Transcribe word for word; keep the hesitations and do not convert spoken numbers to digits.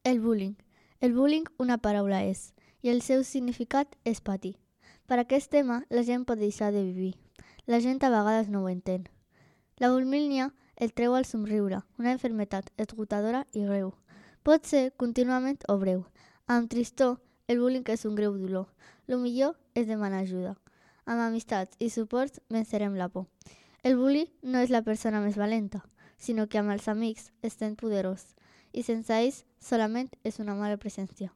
El bullying. El bullying una paraula és, i el seu significat és patir. Per aquest tema, la gent pot deixar de vivir. La gent a vegades no ho entén. La bulímia el treu al somriure, una enfermetat esgotadora i greu. Pot ser contínuament o breu. Amb tristor, el bullying és un greu dolor. Lo millor és demanar ajuda. Amb amistats i suports vencerem la por. El bully no és la persona més valenta, sinó que amb els amics estem poderós, i sense ells solament és una mala presència.